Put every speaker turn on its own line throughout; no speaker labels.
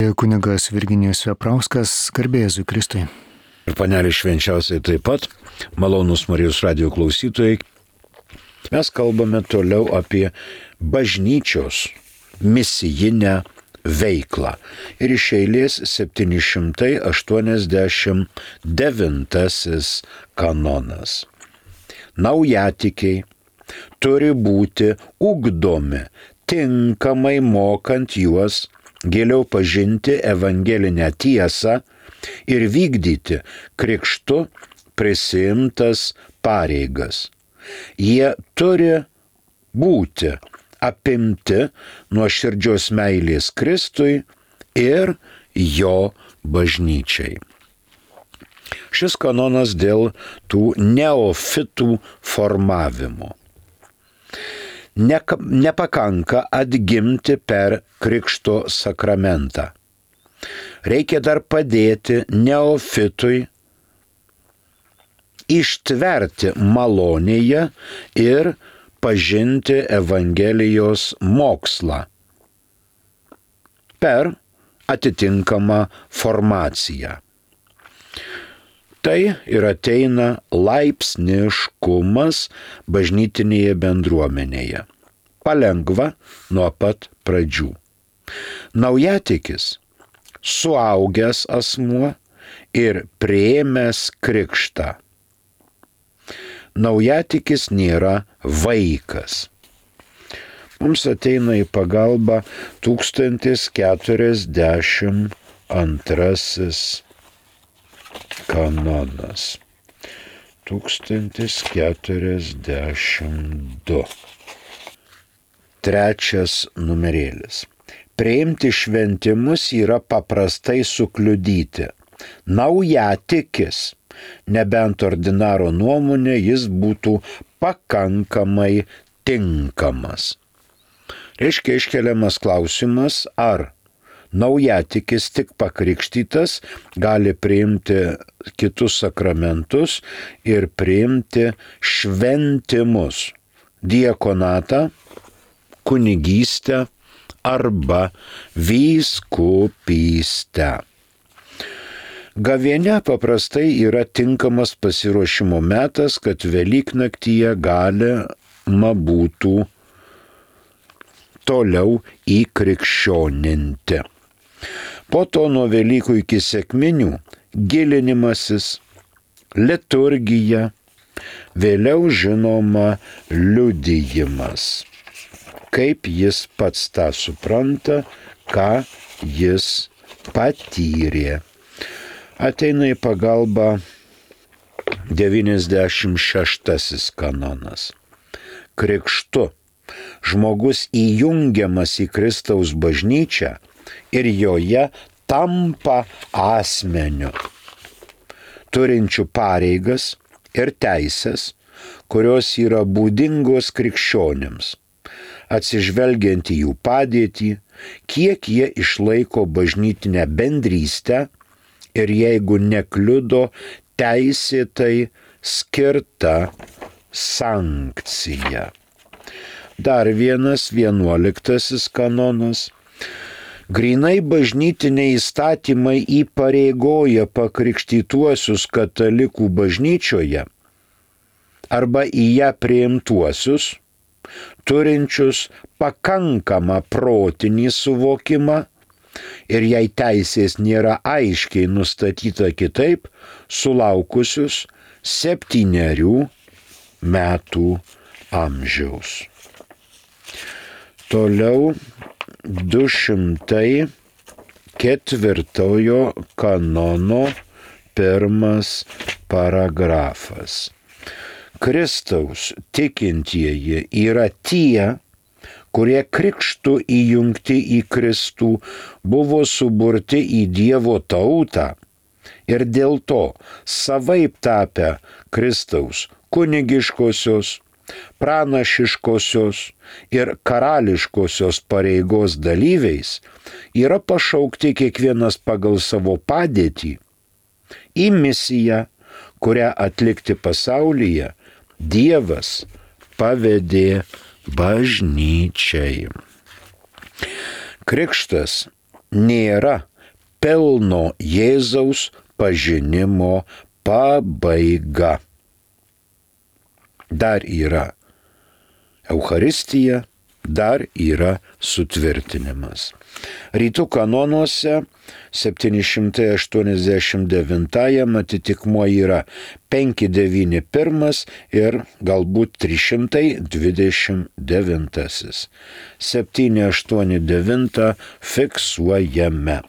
Kunigas Virginijus Veprauskas, garbė Jėzui Kristui.
Ir panelė švenčiausiai taip pat, malonūs Marijos radijo klausytojai, mes kalbame toliau apie bažnyčios misijinę veiklą. Ir iš eilės 789 kanonas. Naujatikiai turi būti ugdomi, tinkamai mokant juos giliau pažinti evangelinę tiesą ir vykdyti krikštu prisiimtas pareigas. Jie turi būti apimti nuoširdžios meilės Kristui ir jo bažnyčiai. Šis kanonas dėl tų neofitų formavimo. Nepakanka atgimti per krikšto sakramentą. Reikia dar padėti neofitui ištverti malonėje ir pažinti Evangelijos mokslą per atitinkamą formaciją. Tai ir ateina laipsniškumas bažnytinėje bendruomenėje. Palengva nuo pat pradžių. Naujatikis, suaugęs asmuo ir priėmęs krikštą. Naujatikis nėra vaikas. Mums ateina į pagalbą 1042 kanonas. 1042. Trečias numerėlis. Priimti šventimus yra paprastai sukliudyti. Naujatikis, nebent ordinaro nuomonė, jis būtų pakankamai tinkamas. Reiškia iškeliamas klausimas, ar naujatikis tik pakrikštytas gali priimti kitus sakramentus ir priimti šventimus, diakonatą, kunigystę arba vyskupystę. Gavėnia paprastai yra tinkamas pasiruošimo metas, kad Velyknaktyje galima būtų toliau įkrikščioninti. Po to nuo Velykų iki sekminių gilinimasis, liturgija, vėliau žinoma liudijimas. Kaip jis pats tą supranta, ką jis patyrė. Ateina į pagalbą 96 kanonas. Krikštu žmogus įjungiamas į Kristaus bažnyčią ir joje tampa asmeniu, turinčiu pareigas ir teisės, kurios yra būdingos krikščionims, atsižvelgiant į jų padėtį, kiek jie išlaiko bažnytinę bendrystę ir jeigu nekliudo teisėtai skirta sankcija. Dar vienas 11 kanonas. Grynai bažnytiniai įstatymai įpareigoja pakrikštytuosius katalikų bažnyčioje arba į ją priimtuosius, turinčius pakankamą protinį suvokimą ir jei teisės nėra aiškiai nustatyta kitaip, sulaukusius 7 metų amžiaus. Toliau 204 kanono 1 paragrafas. Kristaus tikintieji yra tie, kurie krikštu įjungti į Kristų buvo suburti į Dievo tautą ir dėl to savaip tapę Kristaus kunigiškosios, pranašiškosios ir karališkosios pareigos dalyviais, yra pašaukti kiekvienas pagal savo padėtį į misiją, kurią atlikti pasaulyje Dievas pavedė bažnyčiai. Krikštas nėra pilno Jėzaus pažinimo pabaiga. Dar yra Eucharistija, dar yra sutvirtinimas. Rytų kanonuose 789 atitikmuo yra 591 ir galbūt 329. 789 fiksuojame.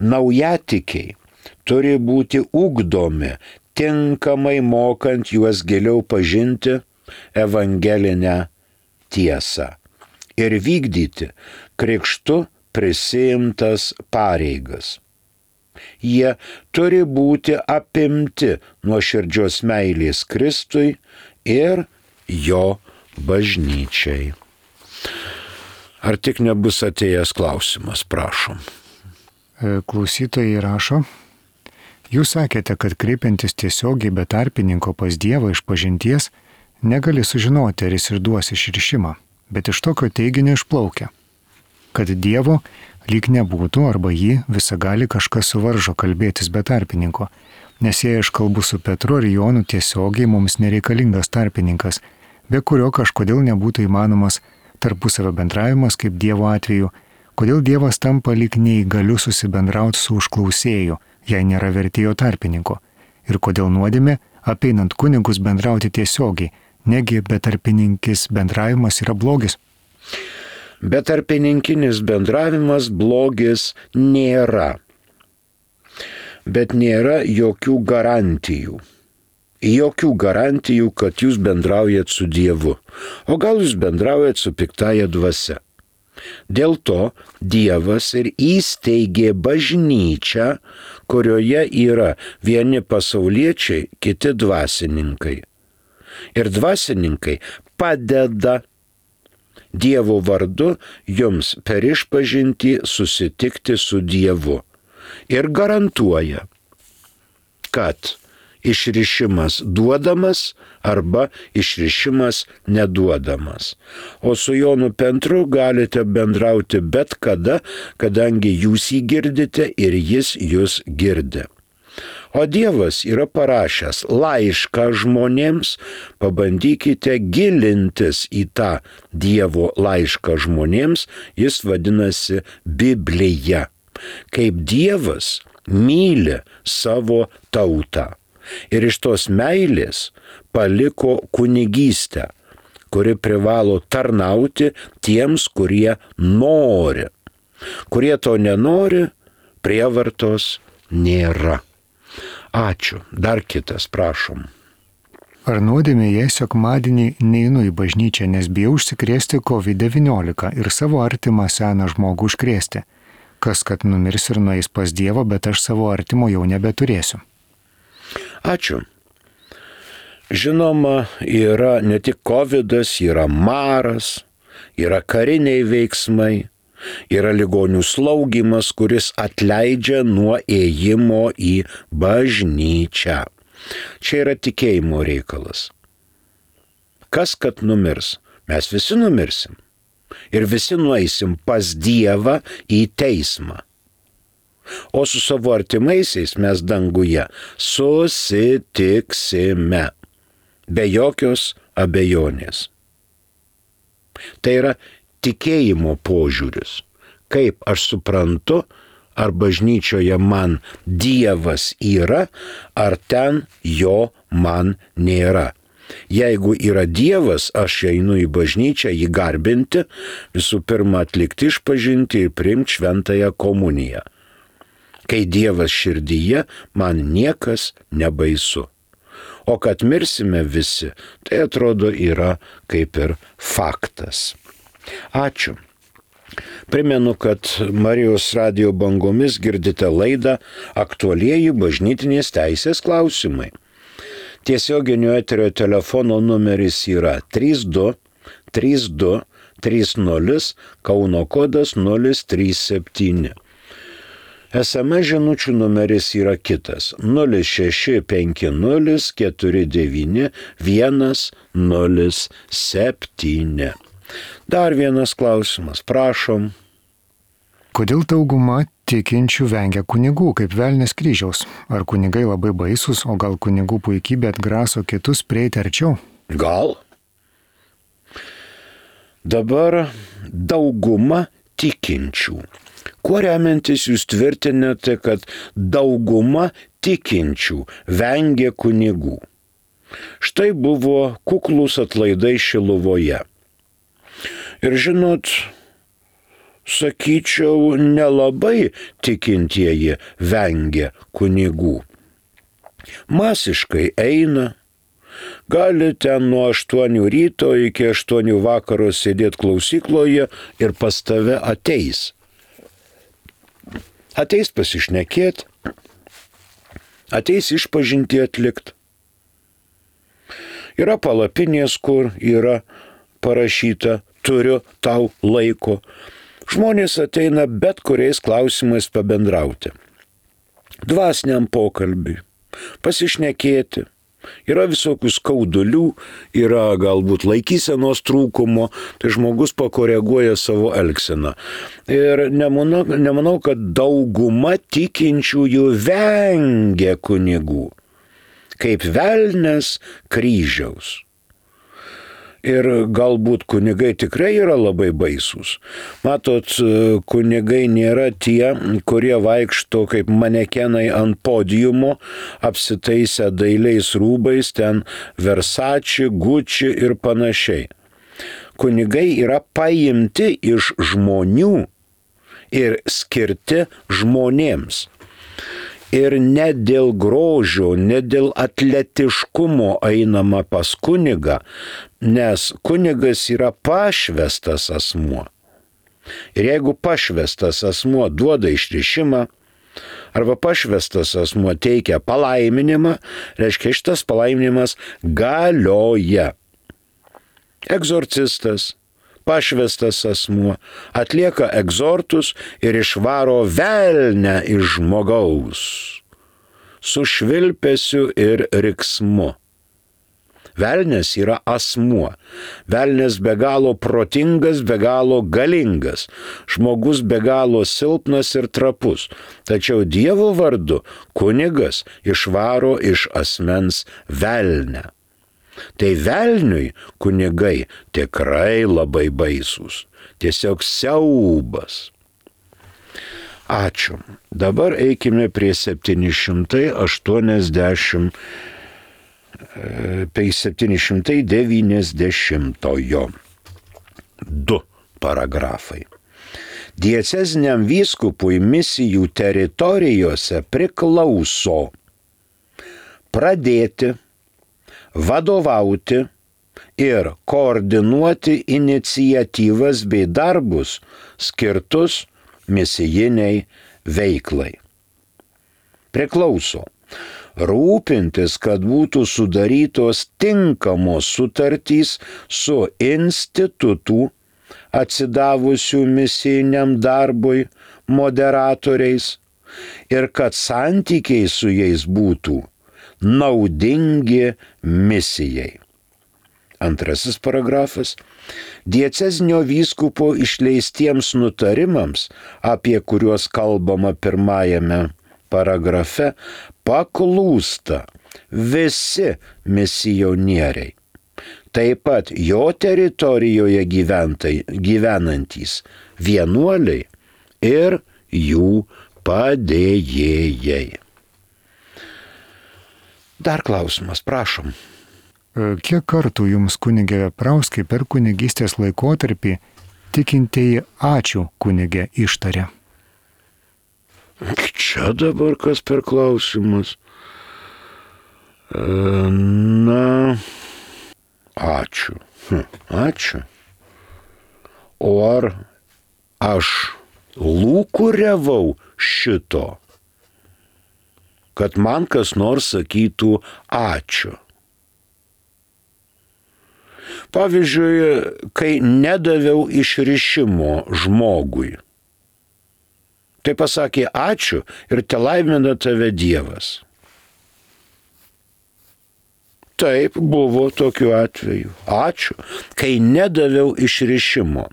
Naujatikiai turi būti ugdomi, tinkamai mokant juos giliau pažinti evangelinę tiesą ir vykdyti krikštu prisiimtas pareigas. Jie turi būti apimti nuoširdžios meilės Kristui ir jo bažnyčiai. Ar tik nebus atėjęs klausimas, prašom.
Klausytojai rašo, jūs sakėte, kad kreipiantis tiesiogiai be tarpininko pas Dievą iš pažinties, negali sužinoti, ar jis ir duos išrišimą, bet iš tokio teiginio išplaukia, kad Dievo lyg nebūtų arba jį visagali kažkas suvaržo kalbėtis be tarpininko, nes jei aš kalbu su Petru ar Jonu tiesiogiai, mums nereikalingas tarpininkas, be kurio kažkodėl nebūtų įmanomas tarpusavio bendravimas kaip Dievo atveju, kodėl Dievas tampa lyg neįgaliu susibendrauti su užklausėju, jei nėra vertėjo tarpininko, ir kodėl nuodėmė, apeinant kunigus bendrauti tiesiogiai, negi betarpininkis bendravimas yra blogis?
Betarpininkinis bendravimas blogis nėra, bet nėra jokių garantijų. Jokių garantijų, kad jūs bendraujat su Dievu, o gal jūs bendraujat su piktaja dvasia. Dėl to Dievas ir įsteigė bažnyčią, kurioje yra vieni pasauliečiai, kiti dvasininkai. Ir dvasininkai padeda Dievo vardu jums per išpažintį susitikti su Dievu ir garantuoja, kad išrišimas duodamas arba išrišimas neduodamas. O su Jonu Petru galite bendrauti bet kada, kadangi jūs jį girdite ir jis jūs girdi. O Dievas yra parašęs laišką žmonėms, pabandykite gilintis į tą Dievo laišką žmonėms, jis vadinasi Biblija. Kaip Dievas myli savo tautą. Ir iš tos meilės paliko kunigystę, kuri privalo tarnauti tiems, kurie nori. Kurie to nenori, prievartos nėra. Ačiū. Dar kitas, prašom.
Ar nuodėmė, jei sekmadienį neinu į bažnyčią, nes bijau užsikrėsti COVID-19 ir savo artimą seną žmogų užkrėsti? Kas, kad numirs ir nueis pas Dievą, bet aš savo artimo jau nebeturėsiu.
Ačiū. Žinoma, yra ne tik covidas, yra maras, yra kariniai veiksmai, yra ligonių slaugymas, kuris atleidžia nuo ėjimo į bažnyčią. Čia yra tikėjimo reikalas. Kas, kad numirs? Mes visi numirsim. Ir visi nueisim pas Dievą į teismą. O su savo artimaisiais mes danguje susitiksime. Be jokios abejonės. Tai yra tikėjimo požiūris. Kaip aš suprantu, ar bažnyčioje man Dievas yra, ar ten jo man nėra. Jeigu yra Dievas, aš einu į bažnyčią jį garbinti, visų pirma atlikti išpažinti ir priimti šventąją komuniją. Kai Dievas širdyje, man niekas nebaisu. O kad mirsime visi, tai atrodo yra kaip ir faktas. Ačiū. Primenu, kad Marijos radijo bangomis girdite laidą Aktualieji bažnytinės teisės klausimai. Tiesioginio eterio telefono numeris yra 32 32 30, Kauno kodas 037. SMS žinučių numeris yra kitas 0650 49 107. Dar vienas klausimas, prašom.
Kodėl dauguma tikinčių vengia kunigų kaip velnės kryžiaus. Ar kunigai labai baisus, o gal kunigų puikybė atgraso kitus prieiti arčiau?
Gal? Dabar dauguma tikinčių. Kuo remiantis jūs tvirtinate, kad dauguma tikinčių vengia kunigų? Štai buvo kuklūs atlaidai Šiluvoje. Ir žinot, sakyčiau, nelabai tikintieji vengia kunigų. Masiškai eina, gali ten nuo 8 ryto iki 8 vakaro sėdėti klausykloje ir pas tave ateis. Ateis pasišnekėti, ateis išpažintį atlikti. Yra palapinės, kur yra parašyta, turiu tau laiko. Žmonės ateina bet kuriais klausimais pabendrauti. Dvasiniam pokalbiui, pasišnekėti. Yra visokių skaudulių, yra galbūt laikysenos trūkumo, tai žmogus pakoreguoja savo elgseną. Ir nemanau, kad dauguma tikinčiųjų vengia kunigų, kaip velnės kryžiaus. Ir galbūt kunigai tikrai yra labai baisūs. Matot, kunigai nėra tie, kurie vaikšto kaip manekenai ant podiumo, apsitaisę dailiais rūbais, ten Versace, Gucci ir panašiai. Kunigai yra paimti iš žmonių ir skirti žmonėms. Ir ne dėl grožio, ne dėl atletiškumo einama pas kunigą, nes kunigas yra pašvestas asmuo. Ir jeigu pašvestas asmuo duoda išrišimą, arba pašvestas asmuo teikia palaiminimą, reiškia šitas palaiminimas galioja. Egzorcistas, pašvestas asmuo atlieka egzortus ir išvaro velnę iš žmogaus su švilpesiu ir riksmu. Velnės yra asmuo. Velnės be galo protingas, be galo galingas. Žmogus be galo silpnas ir trapus. Tačiau Dievo vardu kunigas išvaro iš asmens velnę. Tai velniui kunigai tikrai labai baisūs. Tiesiog siaubas. Ačiū. Dabar eikime prie 790-ojo. 2 paragrafai. Dieceziniam vyskupui misijų teritorijose priklauso pradėti, vadovauti ir koordinuoti iniciatyvas bei darbus skirtus misijiniai veiklai. Priklauso rūpintis, kad būtų sudarytos tinkamos sutartys su institutų atsidavusių misijiniam darbui moderatoriais ir kad santykiai su jais būtų naudingi misijai. 2 paragrafas. Diecezinio vyskupo išleistiems nutarimams, apie kuriuos kalbama 1 paragrafe, paklūsta visi misionieriai. Taip pat jo teritorijoje gyvenantys vienuoliai ir jų padėjėjai. Dar klausimas, prašom.
Kiek kartų jums, kunigė Veprauskai, per kunigystės laikotarpį tikintieji ačiū kunigė ištarė?
Čia dabar kas per klausimas? Na, ačiū. Ačiū. O ar aš lūkuriavau šito, kad man kas nors sakytų ačiū? Pavyzdžiui, kai nedaviau išrišimo žmogui, tai pasakė ačiū ir telaimina tave Dievas. Taip, buvo tokių atvejų. Ačiū, kai nedaviau išrišimo.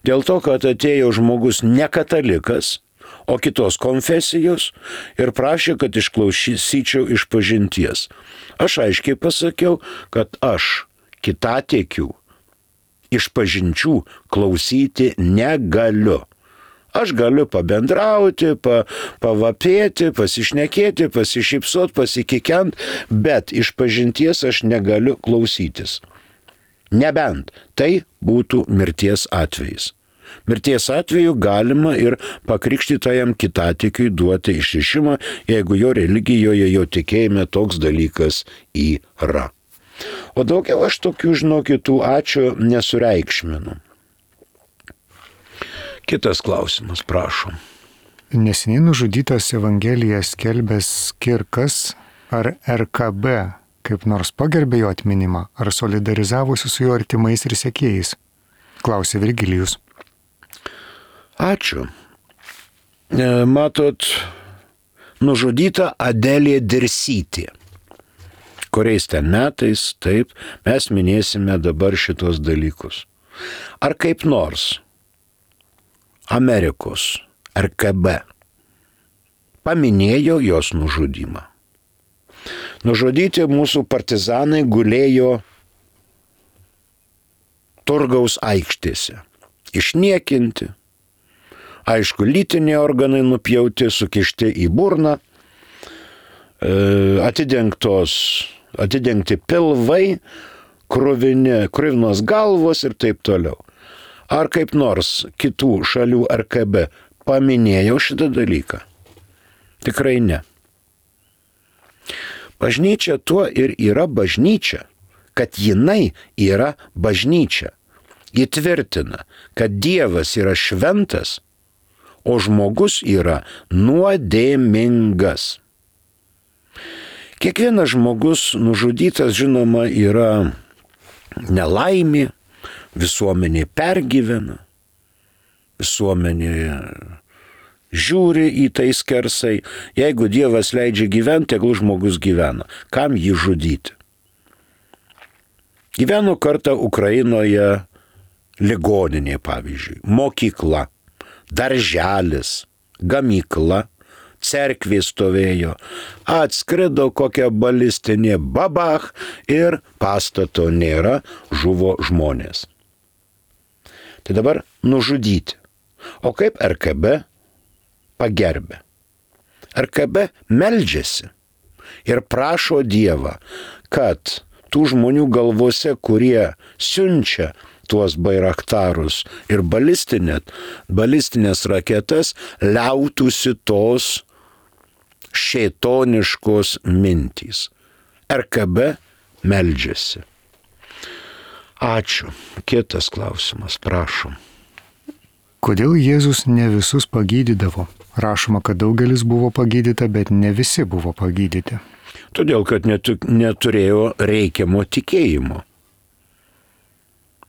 Dėl to, kad atėjo žmogus ne katalikas, o kitos konfesijos ir prašė, kad išklausyčiau išpažinties. Aš aiškiai pasakiau, kad aš kitatikių išpažinčių klausyti negaliu. Aš galiu pabendrauti, pavapėti, pasišnekėti, pasišypsot, pasikikent, bet išpažinties aš negaliu klausytis. Nebent tai būtų mirties atvejis. Mirties atveju galima ir pakrikštytajam kitatikiui duoti išrišimą, jeigu jo religijoje, jo tikėjime toks dalykas yra. O daugiau aš tokių, žinokit, ačiū nesureikšminu. Kitas klausimas, prašom.
Neseniai nužudytas Evangeliją skelbęs Kirkas ar RKB kaip nors pagerbė jo atminimą ar solidarizavosi su jo artimais ir sekėjais? Klausė Virgilijus.
Ačiū. Matot, nužudyta Adelė Dirsytė. Kuriais ten metais, taip, mes minėsime dabar šitos dalykus. Ar kaip nors Amerikos RKB paminėjo jos nužudymą. Nužudyti mūsų partizanai gulėjo Turgaus aikštėse. Išniekinti. Aišku, lytiniai organai nupjauti, sukišti į burną, atidengti pilvai, kruvinos galvos ir taip toliau. Ar kaip nors kitų šalių RKB paminėjau šitą dalyką? Tikrai ne. Bažnyčia tuo ir yra bažnyčia, kad jinai yra bažnyčia. Ji tvirtina, kad Dievas yra šventas, o žmogus yra nuodėmingas. Kiekvienas žmogus nužudytas, žinoma, yra nelaimė, visuomenė pergyvena, visuomenė žiūri į tai skersai. Jeigu Dievas leidžia gyventi, tegul žmogus gyvena. Kam jį žudyti? Gyveno kartą Ukrainoje ligoninė, pavyzdžiui, mokykla, darželis, gamykla, cerkvė stovėjo, atskrido kokia balistinė babach ir pastato nėra, žuvo žmonės. Tai dabar nužudyti. O kaip RKB pagerbė? RKB meldžiasi ir prašo Dievą, kad tų žmonių galvose, kurie siunčia tuos bairaktarus ir balistinės raketas, liautųsi tos šėtoniškos mintys. RKB meldžiasi. Ačiū. Kitas klausimas, prašom.
Kodėl Jėzus ne visus pagydydavo? Rašoma, kad daugelis buvo pagydyta, bet ne visi buvo pagydyti.
Todėl, kad neturėjo reikiamo tikėjimo.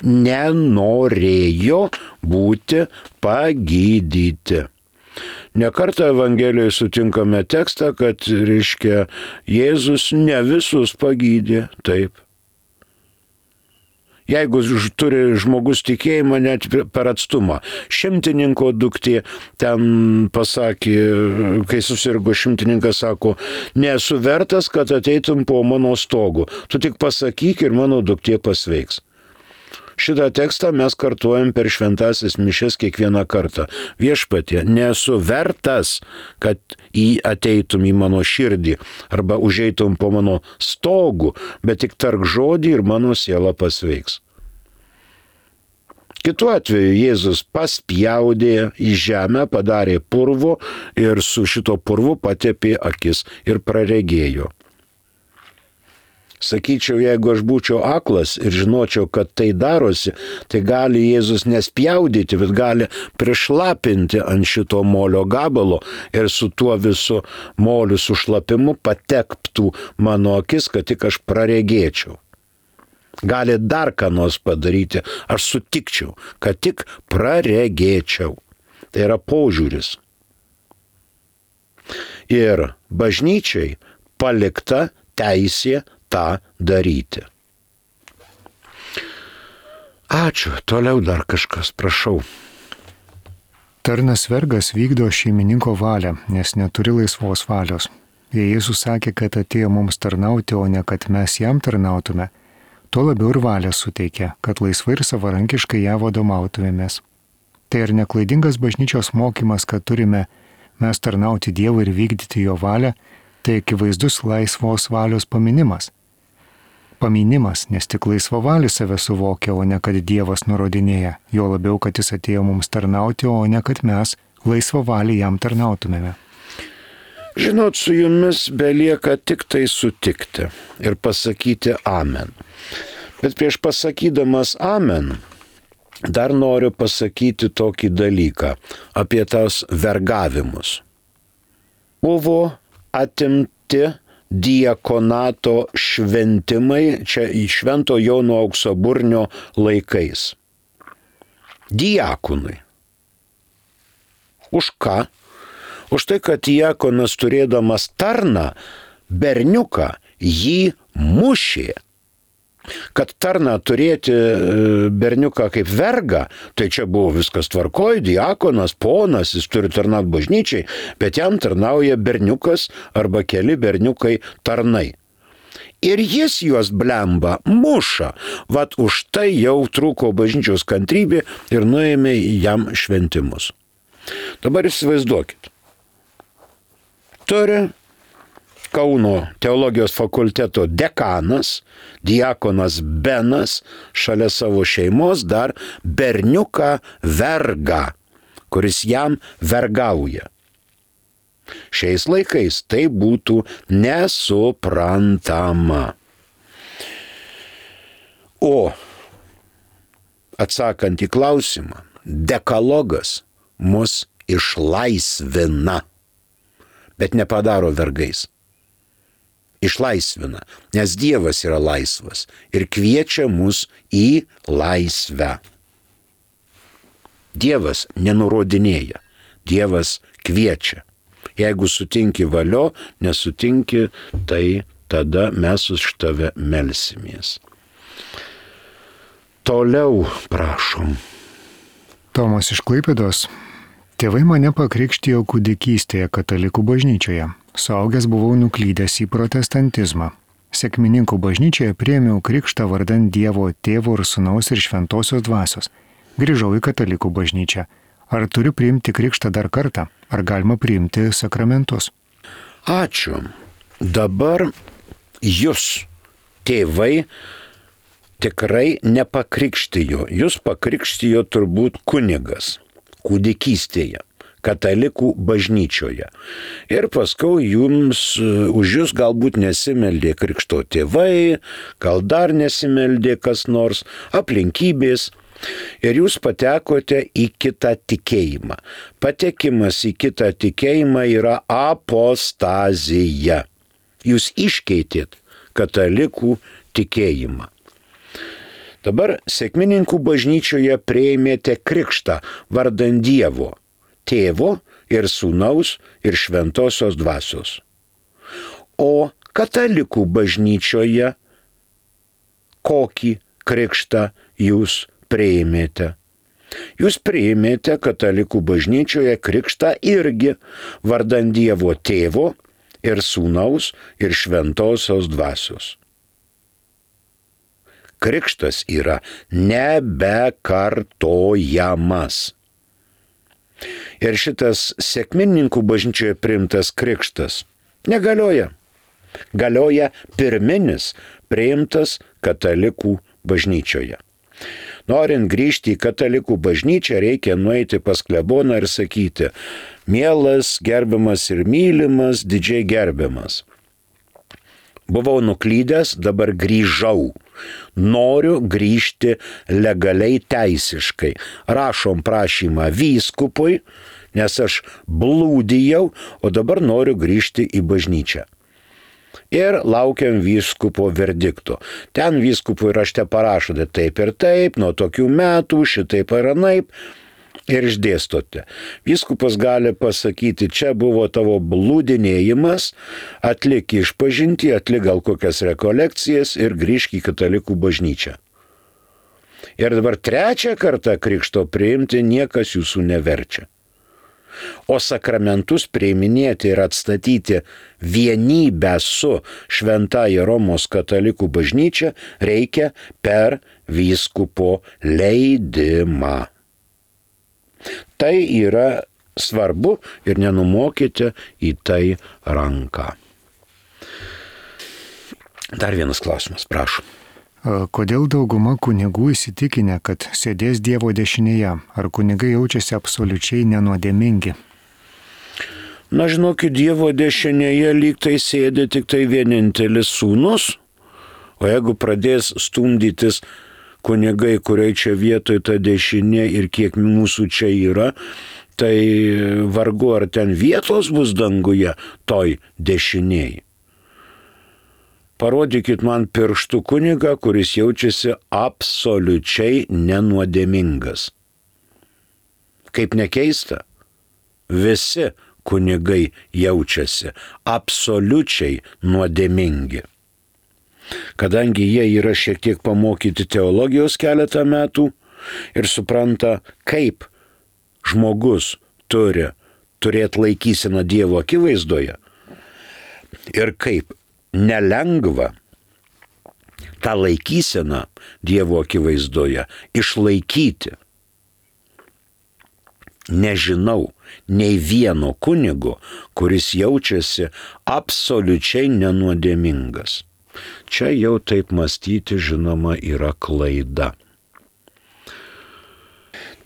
Nenorėjo būti pagydyti. Nekartą Evangelijoje sutinkame tekstą, kad, reiškia, Jėzus ne visus pagydė, taip. Jeigu turi žmogus tikėjimą net per atstumą. Šimtininko duktė ten pasakė, kai susirgo šimtininkas, sako, nesu vertas, kad ateitum po mano stogu. Tu tik pasakyk ir mano duktė pasveiks. Šitą tekstą mes kartuojam per šventasis mišias kiekvieną kartą. Viešpatie, nesu vertas, kad ateitum į mano širdį arba užeitum po mano stogų, bet tik tark žodį ir mano siela pasveiks. Kitu atveju Jėzus paspjaudė į žemę, padarė purvo ir su šito purvu patepė akis ir praregėjo. Sakyčiau, jeigu aš būčiau aklas ir žinočiau, kad tai darosi, tai gali Jėzus nespjaudyti, bet gali prišlapinti ant šito molio gabalo ir su tuo visu moliu sušlapimu patektų mano akis, kad tik aš praregėčiau. Gali dar ką nors padaryti, aš sutikčiau, kad tik praregėčiau. Tai yra požiūris. Ir bažnyčiai palikta teisė tą daryti. Ačiū. Toliau dar kažkas, prašau.
Tarnas vergas vykdo šeimininko valią, nes neturi laisvos valios. Jei Jėzus sakė, kad atėjo mums tarnauti, o ne kad mes jam tarnautume, tuo labiau ir valią suteikė, kad laisvai ir savarankiškai ją vadovautumėmės. Tai ar neklaidingas bažnyčios mokymas, kad turime mes tarnauti Dievui ir vykdyti jo valią, tai akivaizdus laisvos valios paminimas. Paminimas, nes tik laisvavalis save suvokia, o ne kad Dievas nurodinėja, jo labiau, kad jis atėjo mums tarnauti, o ne kad mes laisvavalį jam tarnautumėme.
Žinot, su jumis belieka tik tai sutikti ir pasakyti amen. Bet prieš pasakydamas amen, dar noriu pasakyti tokį dalyką apie tas vergavimus. Buvo atimti diakonato šventimai čia į Švento Jono Auksaburnio laikais. Diakonui. Už ką? Už tai, kad diakonas turėdamas tarną, berniuką, jį mušė. Kad tarną turėti berniuką kaip vergą, tai čia buvo viskas tvarkoj, diakonas, ponas, jis turi tarnauti bažnyčiai, bet jam tarnauja berniukas arba keli berniukai tarnai. Ir jis juos blemba, muša, vat už tai jau trūko bažnyčios kantrybė ir nuėmė jam šventimus. Dabar įsivaizduokit. Turi Kauno teologijos fakulteto dekanas, diakonas Benas, šalia savo šeimos dar berniuką vergą, kuris jam vergauja. Šiais laikais tai būtų nesuprantama. O atsakant į klausimą, dekalogas mus išlaisvina, bet nepadaro vergais. Išlaisvina, nes Dievas yra laisvas ir kviečia mus į laisvę. Dievas nenurodinėja, Dievas kviečia. Jeigu sutinki valio, nesutinki, tai tada mes už tave melsimės. Toliau prašom.
Tomas iš Klaipėdos. Tėvai mane pakrikštijo kūdikystėje katalikų bažnyčioje. Suaugęs buvau nuklydęs į protestantizmą. Sekmininkų bažnyčioje priėmiau krikštą vardan Dievo Tėvo ir Sūnaus ir Šventosios Dvasios. Grįžau į katalikų bažnyčią. Ar turiu priimti krikštą dar kartą? Ar galima priimti sakramentus?
Ačiū. Dabar jūs, tėvai, tikrai nepakrikštijo. Jūs pakrikštijo turbūt kunigas kūdikystėje, katalikų bažnyčioje. Ir paskui už jūs galbūt nesimeldė krikšto tėvai, gal dar nesimeldė kas nors, aplinkybės. Ir jūs patekote į kitą tikėjimą. Patekimas į kitą tikėjimą yra apostazija. Jūs iškeitėt katalikų tikėjimą. Dabar sekmininkų bažnyčioje priėmėte krikštą vardan Dievo, Tėvo ir Sūnaus ir Šventosios Dvasios. O katalikų bažnyčioje kokį krikštą jūs priėmėte? Jūs priėmėte katalikų bažnyčioje krikštą irgi vardan Dievo Tėvo ir Sūnaus ir Šventosios Dvasios. Krikštas yra nebekartojamas. Ir šitas sekmininkų bažnyčioje priimtas krikštas negalioja. Galioja pirminis priimtas katalikų bažnyčioje. Norint grįžti į katalikų bažnyčią, reikia nueiti pas kleboną ir sakyti: mielas, gerbiamas ir mylimas, didžiai gerbiamas. Buvau nuklydęs, dabar grįžau. Noriu grįžti legaliai teisiškai. Rašom prašymą vyskupui, nes aš blūdijau, o dabar noriu grįžti į bažnyčią. Ir laukiam vyskupo verdikto. Ten vyskupui rašte parašote taip ir taip, nuo tokių metų, šitaip ir anaip. Ir išdėstote. Vyskupas gali pasakyti: čia buvo tavo blūdinėjimas, atlik išpažintį, atlik gal kokias rekolekcijas ir grįžk į katalikų bažnyčią. Ir dabar trečią kartą krikšto priimti niekas jūsų neverčia. o sakramentus priiminėti ir atstatyti vienybę su Šventąja Romos katalikų bažnyčia reikia per vyskupo leidimą. Tai yra svarbu ir nenumokite į tai ranką. Dar vienas klausimas, prašom.
Kodėl dauguma kunigų įsitikinę, kad sėdės Dievo dešinėje? Ar kunigai jaučiasi absoliučiai nenuodėmingi?
Na, žinokit, Dievo dešinėje lyg tai sėdi tik tai vienintelis sūnus, o jeigu pradės stumdytis kunigai, kuriai čia vietoj ta dešinė ir kiek mūsų čia yra, tai vargu ar ten vietos bus danguje toj dešinėj. Parodykit man pirštų kunigą, kuris jaučiasi absoliučiai nenuodėmingas. Kaip nekeista, visi kunigai jaučiasi absoliučiai nuodėmingi. Kadangi jie yra šiek tiek pamokyti teologijos keletą metų ir supranta, kaip žmogus turi turėti laikyseną Dievo akivaizdoje ir kaip nelengva tą laikyseną Dievo akivaizdoje išlaikyti. Nežinau nei vieno kunigo, kuris jaučiasi absoliučiai nenuodėmingas. Čia jau taip mąstyti, žinoma, yra klaida.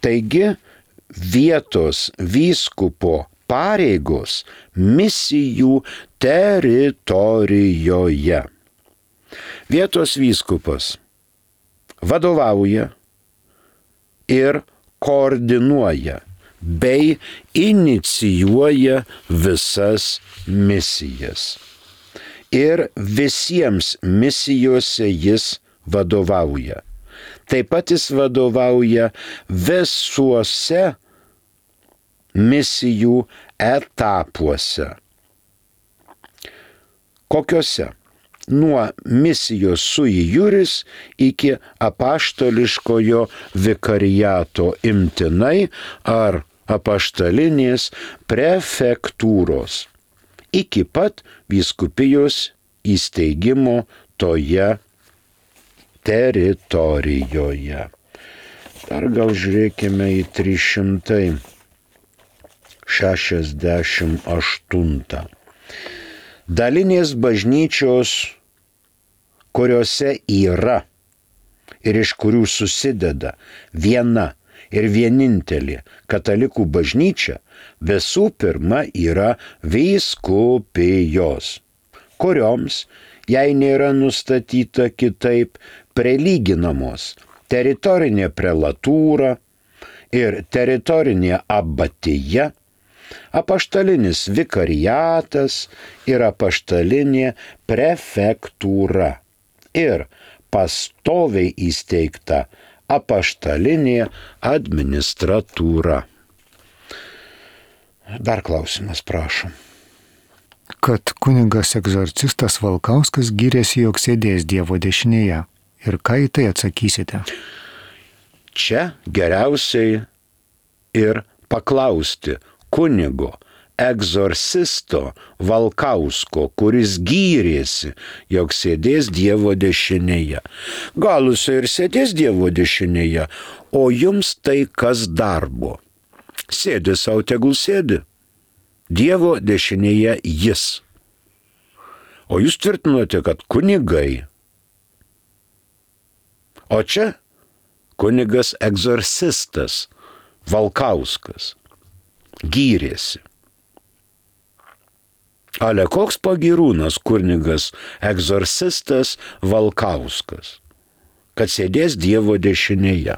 Taigi, vietos vyskupo pareigos misijų teritorijoje. Vietos vyskupas vadovauja ir koordinuoja bei inicijuoja visas misijas. Ir visiems misijose jis vadovauja. Taip pat jis vadovauja visuose misijų etapuose. Kokiuose? Nuo misijos sui juris iki apaštališkojo vikariato imtinai ar apaštalinės prefektūros, iki pat vyskupijos įsteigimo toje teritorijoje. Dar gal žiūrėkime į 368. Dalinės bažnyčios, kuriuose yra ir iš kurių susideda viena ir vienintelė katalikų bažnyčia, visų pirma yra vyskupijos, kurioms, jei nėra nustatyta kitaip, prilyginamos teritorinė prelatūra ir teritorinė abatija, apaštalinis vikariatas ir apaštalinė prefektūra ir pastoviai įsteigta apaštalinė administratūra. Dar klausimas, prašom.
Kad kunigas egzorcistas Valkauskas gyrėsi, jog sėdės Dievo dešinėje. Ir ką į tai atsakysite?
Čia geriausiai ir paklausti kunigo egzorcisto Valkausko, kuris gyrėsi, jog sėdės Dievo dešinėje. Gal jis ir sėdės Dievo dešinėje, o jums tai kas darbo? Sėdi sau, tegul sėdi. Dievo dešinėje jis. O jūs tvirtinote, kad kunigai. O čia kunigas egzorcistas Valkauskas gyrėsi. Ale koks pagyrūnas kunigas egzorcistas Valkauskas, kad sėdės Dievo dešinėje.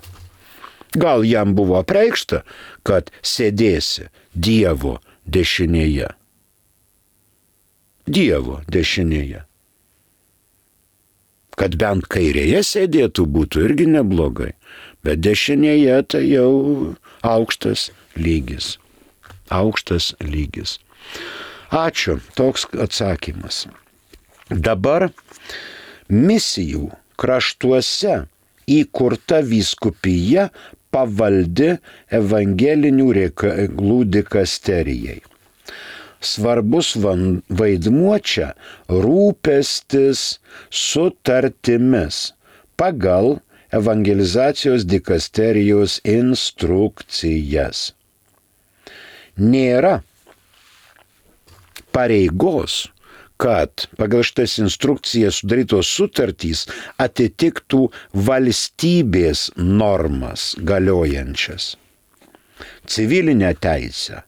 Gal jam buvo apreikšta, kad sėdėsi Dievo dešinėje. Dievo dešinėje. Kad bent kairėje sėdėtų būtų irgi neblogai, bet dešinėje tai jau aukštas lygis. Aukštas lygis. Ačiū, toks atsakymas. Dabar misijų kraštuose įkurta vyskupija pavaldi evangelinių reikalų dikasterijai. Svarbus vaidmuo čia rūpestis sutartimis pagal evangelizacijos dikasterijos instrukcijas. Nėra pareigos, kad pagal šitas instrukcijas sudarytos sutartys atitiktų valstybės normas galiojančias, civilinę teisę.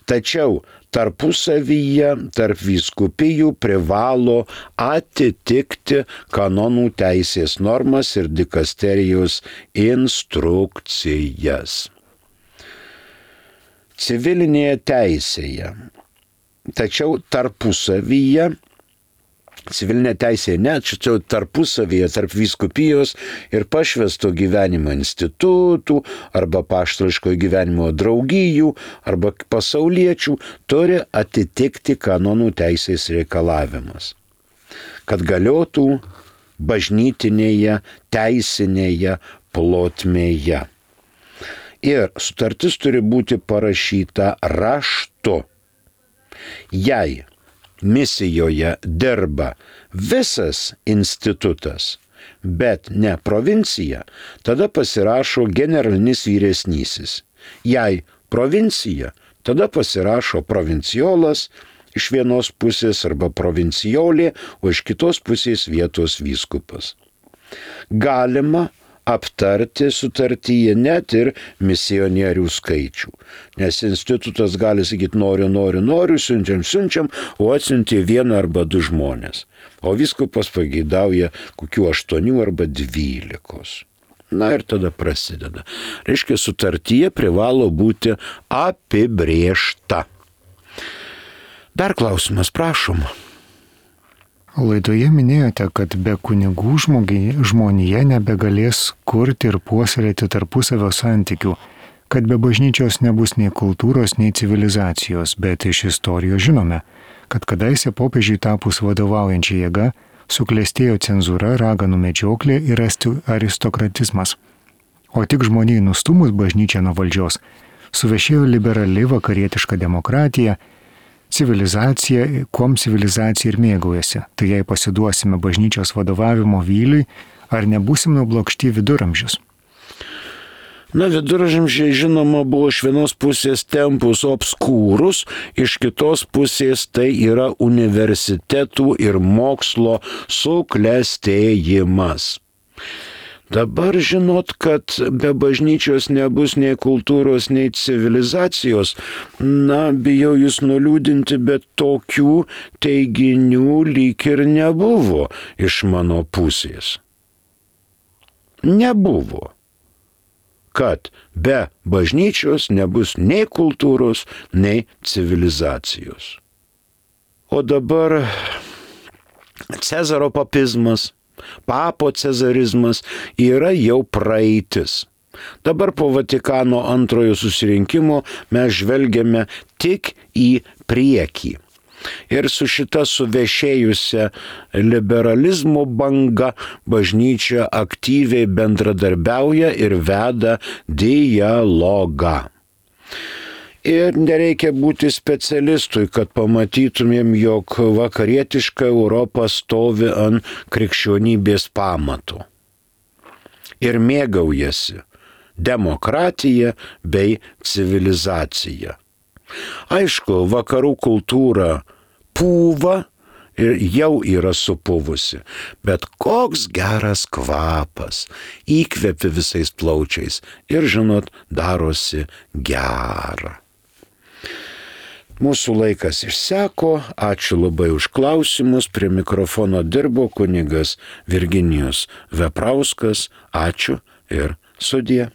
Tačiau tarpusavyje, tarp vyskupijų privalo atitikti kanonų teisės normas ir dikasterijos instrukcijas. Civilinėje teisėje, tačiau tarpusavyje, civilinė teisė ne, tačiau tarpusavyje, tarp vyskupijos ir pašvęsto gyvenimo institutų arba paštališko gyvenimo draugijų arba pasauliečių turi atitikti kanonų teisės reikalavimus, kad galiotų bažnytinėje, teisinėje plotmėje. Ir sutartis turi būti parašyta raštu. Jei misijoje dirba visas institutas, bet ne provincija, tada pasirašo generalinis vyresnysis. Jei provincija, tada pasirašo provinciolas iš vienos pusės arba provinciolė, o iš kitos pusės vietos vyskupas. Galima aptarti sutartyje net ir misionierių skaičių. Nes institutas gali sakyti noriu, siunčiam, o atsiuntė 1 arba 2 žmonės. O vyskupas pageidauja kokių 8 arba 12. Na ir tada prasideda. Reiškia, sutartyje privalo būti apibrėžta. Dar klausimas, prašom.
Laidoje minėjote, kad be kunigų žmonija nebegalės kurti ir puoselėti tarpusavio santykių, kad be bažnyčios nebus nei kultūros, nei civilizacijos, bet iš istorijos žinome, kad kadaise popiežiui tapus vadovaujančia jėga suklestėjo cenzūra, raganų medžioklė ir aristokratizmas. O tik žmonijai nustumus bažnyčią nuo valdžios, suvešėjo liberali vakarietiška demokratija, civilizacija, kuom civilizacija ir mėgaujasi. Tai jei pasiduosime bažnyčios vadovavimo vyliui, ar nebūsim nublokšti viduramžius?
Na, viduramžiai žinoma buvo iš vienos pusės tempus obskūrus, iš kitos pusės tai yra universitetų ir mokslo suklestėjimas. Dabar žinot, kad be bažnyčios nebus nei kultūros, nei civilizacijos, na, bijau jūs nuliūdinti, bet tokių teiginių lyg ir nebuvo iš mano pusės. Nebuvo, kad be bažnyčios nebus nei kultūros, nei civilizacijos. O dabar Cezaro papizmas, papo cezarizmas yra jau praeitis. Dabar po Vatikano antrojo susirinkimo mes žvelgiame tik į priekį. Ir su šita suvešėjusia liberalizmo banga bažnyčia aktyviai bendradarbiauja ir veda dialogą. Ir nereikia būti specialistui, kad pamatytumėm, jog vakarietiška Europa stovi ant krikščionybės pamatų. Ir mėgaujasi demokratija bei civilizacija. Aišku, vakarų kultūra pūva ir jau yra supuvusi, bet koks geras kvapas, įkvepi visais plaučiais ir, žinot, darosi gera. Mūsų laikas išseko, ačiū labai už klausimus, prie mikrofono dirbo kunigas Virginijus Veprauskas, ačiū ir sudie.